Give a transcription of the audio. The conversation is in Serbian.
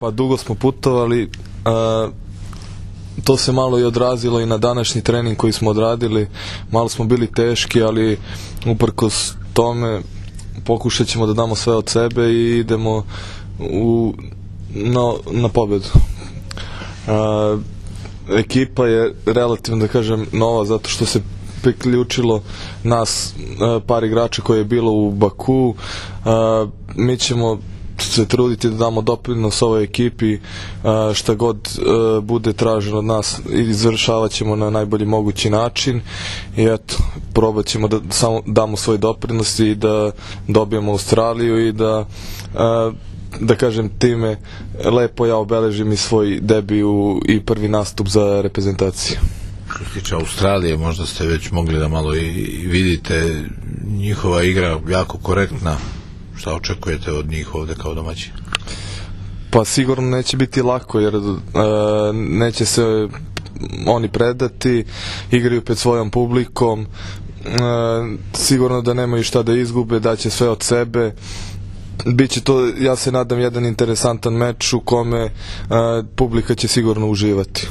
Pa dugo smo putovali, to se malo i odrazilo i na današnji trening koji smo odradili. Malo smo bili teški, ali uprkos tome pokušat ćemo da damo sve od sebe i idemo na pobedu. Ekipa je relativno, da kažem, nova, zato što se priključilo nas par igrača koje je bilo u Baku. Mi ćemo se truditi da damo doprinos ovoj ekipi, šta god bude traženo od nas i izvršavat ćemo na najbolji mogući način i eto, probat ćemo da samo damo svoj doprinos i da dobijemo Australiju i da kažem time lepo ja obeležim i svoj debiju i prvi nastup za reprezentaciju. Što se tiče Australije, možda ste već mogli da malo i vidite, njihova igra jako korektna. Šta očekujete od njih ovde kao domaći? Pa sigurno neće biti lako, jer neće se oni predati, igraju pred svojom publikom, sigurno da nemaju šta da izgube, daće sve od sebe. Biće to, ja se nadam, jedan interesantan meč u kome publika će sigurno uživati.